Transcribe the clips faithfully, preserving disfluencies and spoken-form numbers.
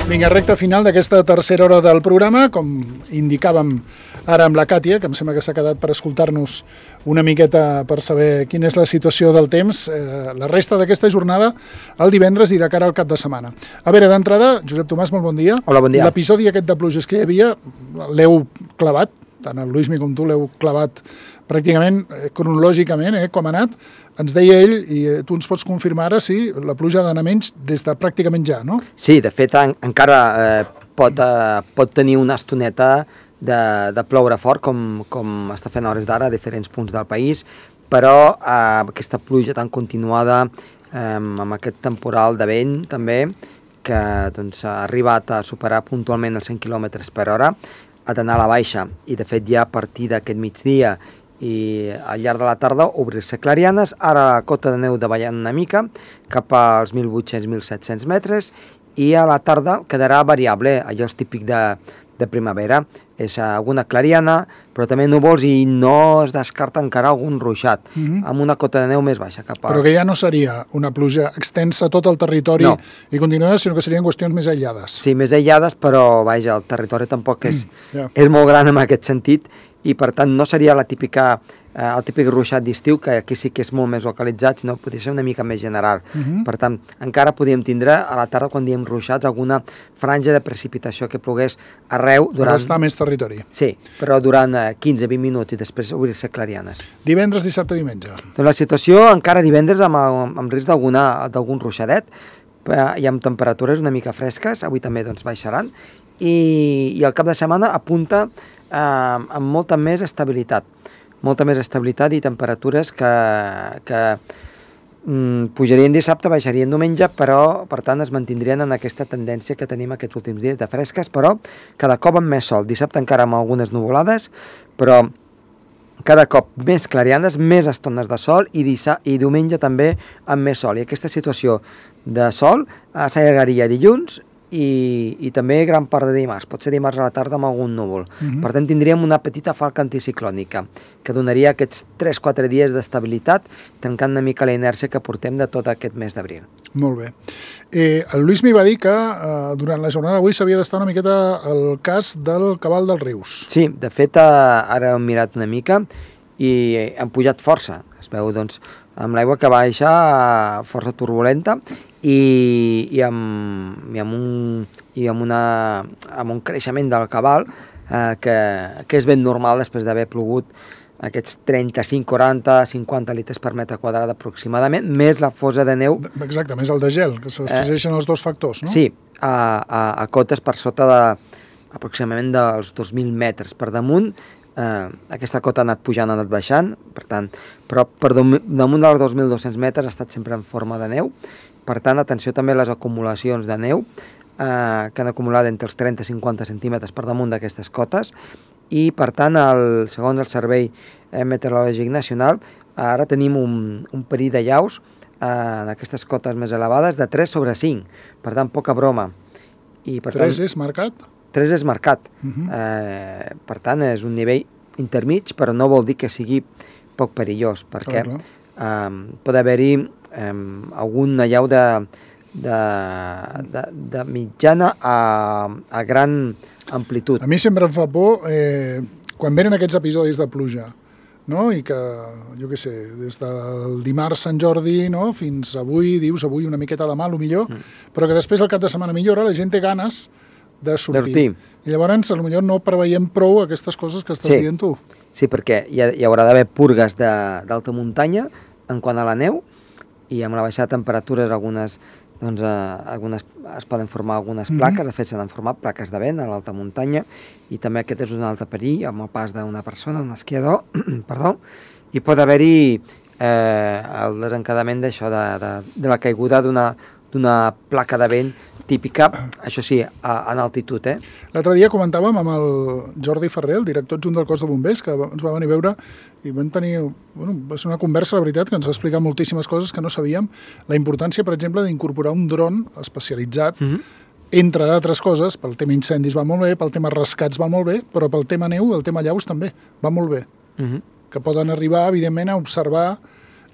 Vinga, recta final d'aquesta tercera hora del programa, com indicàvem ara amb la Càtia, que em sembla que s'ha quedat per escoltar-nos una miqueta per saber quina és la situació del temps, eh, la resta d'aquesta jornada el divendres i de cara al cap de setmana. A veure, d'entrada, Josep Tomàs, molt bon dia. Hola, bon dia. L'episodi aquest de pluges que hi havia, l'heu clavat, tant el Luismi com tu l'heu clavat pràcticament eh, cronològicament, eh, com ha anat. Ens deia ell, i eh, tu ens pots confirmar ara, si la pluja ha d'anar menys des de pràcticament ja, no? Sí, de fet, en, encara eh, pot, eh, pot tenir una estoneta de, de ploure fort, com, com està fent a hores d'ara a diferents punts del país, però eh, aquesta pluja tan continuada, eh, amb aquest temporal de vent també, que doncs, ha arribat a superar puntualment els cent quilòmetres per hora, ha d'anar a la baixa, i de fet ja a partir d'aquest migdia i al llarg de la tarda obrir-se clarianes. Ara la cota de neu davallant una mica cap als mil vuit-cents a mil set-cents metres, i a la tarda quedarà variable, allò és típic de, de primavera, és alguna clariana, però també núvols, i no es descarta encara algun ruixat, uh-huh. amb una cota de neu més baixa cap als... Però que ja no seria una pluja extensa a tot el territori no. i continuada, sinó que serien qüestions més aïllades. Sí, més aïllades, però vaja, el territori tampoc és, mm, yeah. és molt gran en aquest sentit, i per tant no seria la típica, eh, el típic ruixat d'estiu, que aquí sí que és molt més localitzat, sinó podria ser una mica més general. Uh-huh. Per tant, encara podríem tindre a la tarda, quan diem ruixats, alguna franja de precipitació que plogués arreu durant... Per estar més territori. Sí, però durant eh, quinze a vint minuts i després obrir-se clarianes. Divendres, dissabte, diumenge. Doncs la situació encara divendres amb, amb risc d'algun ruixadet, i amb temperatures una mica fresques, avui també doncs, baixaran, i, i el cap de setmana apunta eh, amb molta més estabilitat, molta més estabilitat i temperatures que, que mm, pujarien dissabte, baixarien diumenge, però per tant es mantindrien en aquesta tendència que tenim aquests últims dies de fresques, però cada cop amb més sol. Dissabte encara amb algunes nuvolades, però cada cop més clarianes, més estones de sol, i, dissa, i diumenge també amb més sol. I aquesta situació de sol eh, s'allargaria dilluns i, i també gran part de dimarts. Pot ser dimarts a la tarda amb algun núvol. Uh-huh. Per tant, tindríem una petita falca anticiclònica que donaria aquests tres quatre dies d'estabilitat, trencant una mica la inèrcia que portem de tot aquest mes d'abril. Molt bé. Eh, el Luismi va dir que eh, durant la jornada d'avui s'havia d'estar una miqueta el cas del cabal dels rius. Sí, de fet, eh, ara hem mirat una mica i han pujat força. Es veu, doncs, amb l'aigua que baixa eh, força turbulenta, i, i, amb, i, amb un, i amb, una, amb un creixement del cabal eh, que, que és ben normal després d'haver plogut aquests trenta-cinc, quaranta, cinquanta litres per metre quadrat aproximadament, més la fosa de neu. Exacte, més el de gel, que s'afegeixen eh, els dos factors, no? Sí, a, a, a cotes per sota de aproximadament dels dos mil metres per damunt. Eh, aquesta cota ha anat pujant, ha anat baixant, per tant, però per damunt dels dos mil dos-cents metres ha estat sempre en forma de neu. Per tant, atenció també a les acumulacions de neu, eh, que han acumulat entre els trenta i cinquanta centímetres per damunt d'aquestes cotes, i per tant, el, segons el Servei Meteorològic Nacional, ara tenim un, un perill de llaus eh, en aquestes cotes més elevades de tres sobre cinc, per tant, poca broma. I, per tres tant, és marcat? tres és marcat. Uh-huh. eh, per tant, és un nivell intermig, però no vol dir que sigui poc perillós, perquè clar, clar. Eh, pot haver-hi eh, algun allau de, de, de, de mitjana a, a gran amplitud. A mi sempre em fa por eh, quan venen aquests episodis de pluja, no? I que, jo què sé, des del dimarts Sant Jordi, no? Fins avui, dius avui una miqueta de mal, o millor, mm. però que després el cap de setmana millora, la gent té ganes de sortir. sortir. I llavors, potser no preveiem prou aquestes coses que estàs sí. dient tu. Sí, perquè hi, ha, hi haurà d'haver purgues d'alta muntanya en quant a la neu, i amb la baixada de temperatures algunes, doncs, eh, algunes es poden formar algunes plaques, mm-hmm. de fet s'han format plaques de vent a l'alta muntanya, i també aquest és un altre perill amb el pas d'una persona, un esquiador, perdó, i pot haver-hi eh, el desencadament d'això, de, de, de la caiguda d'una d'una placa de vent típica, això sí, a, en altitud. Eh? L'altre dia comentàvem amb el Jordi Ferrer, el director adjunt del cos de bombers, que ens va venir a veure i vam tenir, bueno, va ser una conversa, la veritat, que ens va explicar moltíssimes coses que no sabíem, la importància, per exemple, d'incorporar un dron especialitzat, mm-hmm. entre d'altres coses, pel tema incendis va molt bé, pel tema rescats va molt bé, però pel tema neu, el tema llaus també va molt bé, mm-hmm. que poden arribar, evidentment, a observar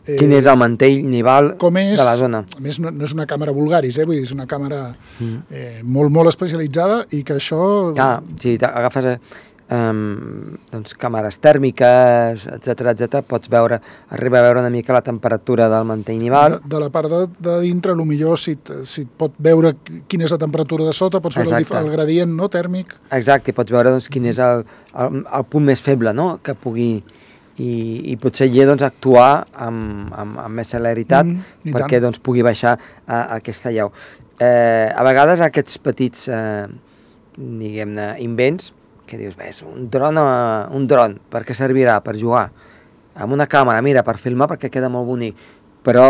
Eh, Quin és el mantell nival com és, de la zona? A més, no, no és una càmera vulgaris, eh? Vull dir, és una càmera mm. eh, molt, molt especialitzada i que això... Ah, si agafes... Eh, Um, doncs càmeres tèrmiques, etcètera, etcètera, pots veure, arriba a veure una mica la temperatura del mantell nival. De, de la part de, de dintre, potser si, si et pot veure quina és la temperatura de sota, pots veure el, el gradient, no, tèrmic. Exacte, i pots veure doncs, quin és el, el, el punt més feble, no?, que pugui... I, i potser allà doncs, actuar amb, amb, amb més celeritat mm, perquè doncs, pugui baixar a, a aquesta llau. Eh, a vegades aquests petits, eh, diguem-ne, invents, que dius, bé, un dron, un dron, per què servirà? Per jugar. Amb una càmera, mira, per filmar, perquè queda molt bonic. Però,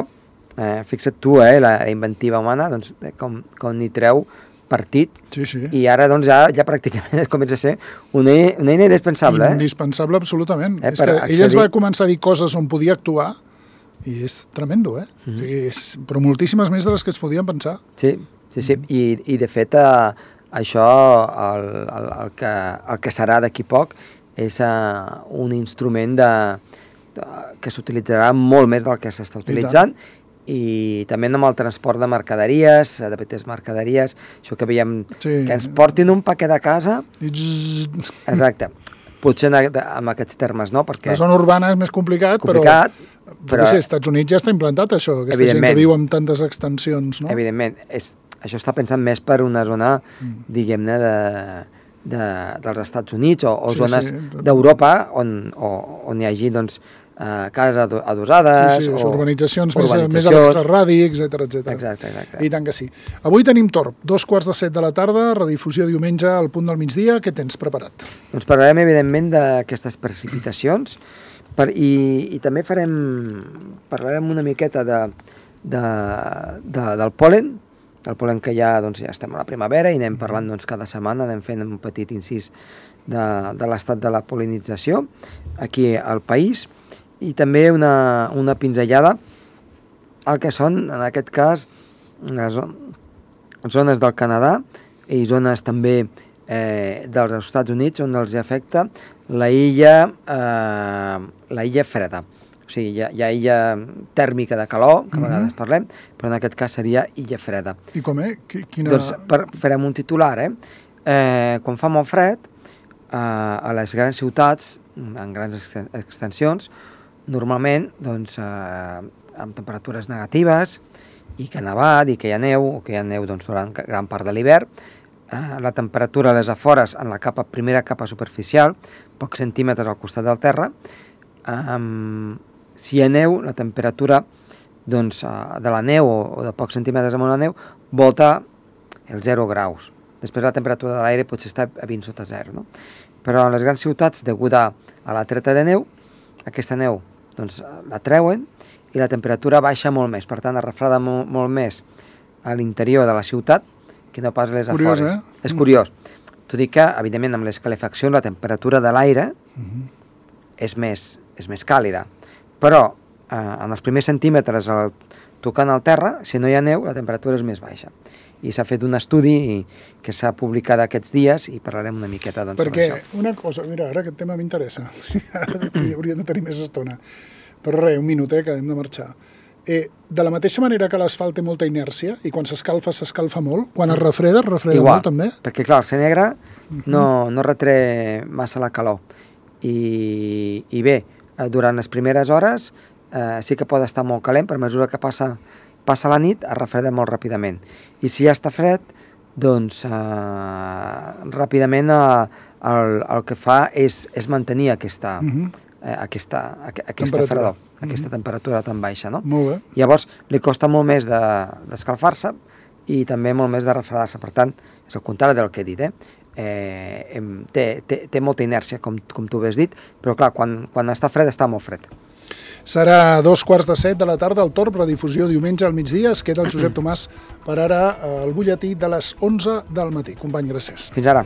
eh, fixa't tu, eh, la, la inventiva humana, doncs, com, com n'hi treu partit, sí, sí. I ara doncs, ja, ja pràcticament comença a ser una, una eina indispensable. Eh? Indispensable, absolutament. Eh, és que accedir... ella es va començar a dir coses on podia actuar, i és tremendo, eh? Mm-hmm. O sigui, és, però moltíssimes més de les que es podien pensar. Sí, sí, sí. Mm-hmm. I, i de fet... Eh, això, el, el, el, que, el que serà d'aquí poc, és uh, un instrument de, de, que s'utilitzarà molt més del que s'està utilitzant, i, i també amb el transport de mercaderies, de petites mercaderies, això que veiem, sí. Que ens portin un paquet de casa. I exacte. Potser en, en aquests termes, no? Perquè la zona urbana és més complicat, és complicat però, però als Estats Units ja està implantat això, aquesta gent que viu amb tantes extensions, no? Evidentment, és això està pensat més per una zona, mm. diguem-ne, de, de, dels Estats Units o, o sí, zones sí. d'Europa on, on hi hagi doncs, eh, cases adossades. Sí, sí, o urbanitzacions, urbanitzacions més, més a l'extraradi, etcètera, etcètera. Exacte, exacte. I tant que sí. Avui tenim Torb, dos quarts de set de la tarda, redifusió diumenge al punt del migdia. Què tens preparat? Doncs parlarem, evidentment, d'aquestes precipitacions per, i, i també farem, parlarem una miqueta de, de, de, del pol·len, el pol·len que ja, doncs, ja estem a la primavera i anem parlant doncs, cada setmana, anem fent un petit incís de, de l'estat de la pol·linització aquí al país i també una, una pinzellada al que són, en aquest cas, les zones del Canadà i zones també eh, dels Estats Units on els afecta la illa, eh, la illa freda. O sigui, hi ha, hi ha illa tèrmica de calor, que a vegades mm-hmm. parlem, però en aquest cas seria illa freda. I com és? Quina... Doncs per, farem un titular, eh? eh quan fa molt fred, eh, a les grans ciutats, en grans extensions, normalment, doncs, eh, amb temperatures negatives, i que ha nevat, i que hi ha neu, o que hi ha neu doncs, durant gran part de l'hivern, eh, la temperatura a les afores, en la capa, primera capa superficial, pocs centímetres al costat del terra, eh, si hi ha neu, la temperatura doncs, de la neu o de pocs centímetres amb la neu volta els zero graus. Després la temperatura de l'aire potser està a vint sota zero. No? Però en les grans ciutats, deguda a la treta de neu, aquesta neu doncs, la treuen i la temperatura baixa molt més. Per tant, es refreda molt, molt més a l'interior de la ciutat que no pas a les curiós, afores. Eh? És curiós. Tot i que, evidentment, amb les calefaccions la temperatura de l'aire uh-huh. és, més, és més càlida. Però eh, en els primers centímetres el, tocant al terra, si no hi ha neu, la temperatura és més baixa. I s'ha fet un estudi que s'ha publicat aquests dies i parlarem una miqueta doncs, perquè sobre això. Una cosa, mira, ara aquest tema m'interessa. Ara hauríem de tenir més estona. Però res, un minut, eh, que hem de marxar. Eh, de la mateixa manera que l'asfalt té molta inèrcia i quan s'escalfa, s'escalfa molt, quan es refreda, es refreda Igual, molt també? Perquè clar, el ser negre no, no retré massa la calor. I, i bé, durant les primeres hores eh, sí que pot estar molt calent, per mesura que passa, passa la nit es refreda molt ràpidament. I si ja està fred, doncs eh, ràpidament eh, el, el que fa és, és mantenir aquesta, uh-huh. eh, aquesta, aquesta fredor, uh-huh. aquesta temperatura tan baixa. No? Molt bé. Llavors li costa molt més de, d'escalfar-se i també molt més de refredar-se. Per tant, és el contrari del que he dit, eh? Eh, té, té, té molta inèrcia, com, com tu has dit, però clar, quan, quan està fred, està molt fred. Serà dos quarts de set de la tarda al Torb, redifusió diumenge al migdia. Es queda el Josep Tomàs per ara al butlletí de les onze del matí. Company, gràcies. Fins ara.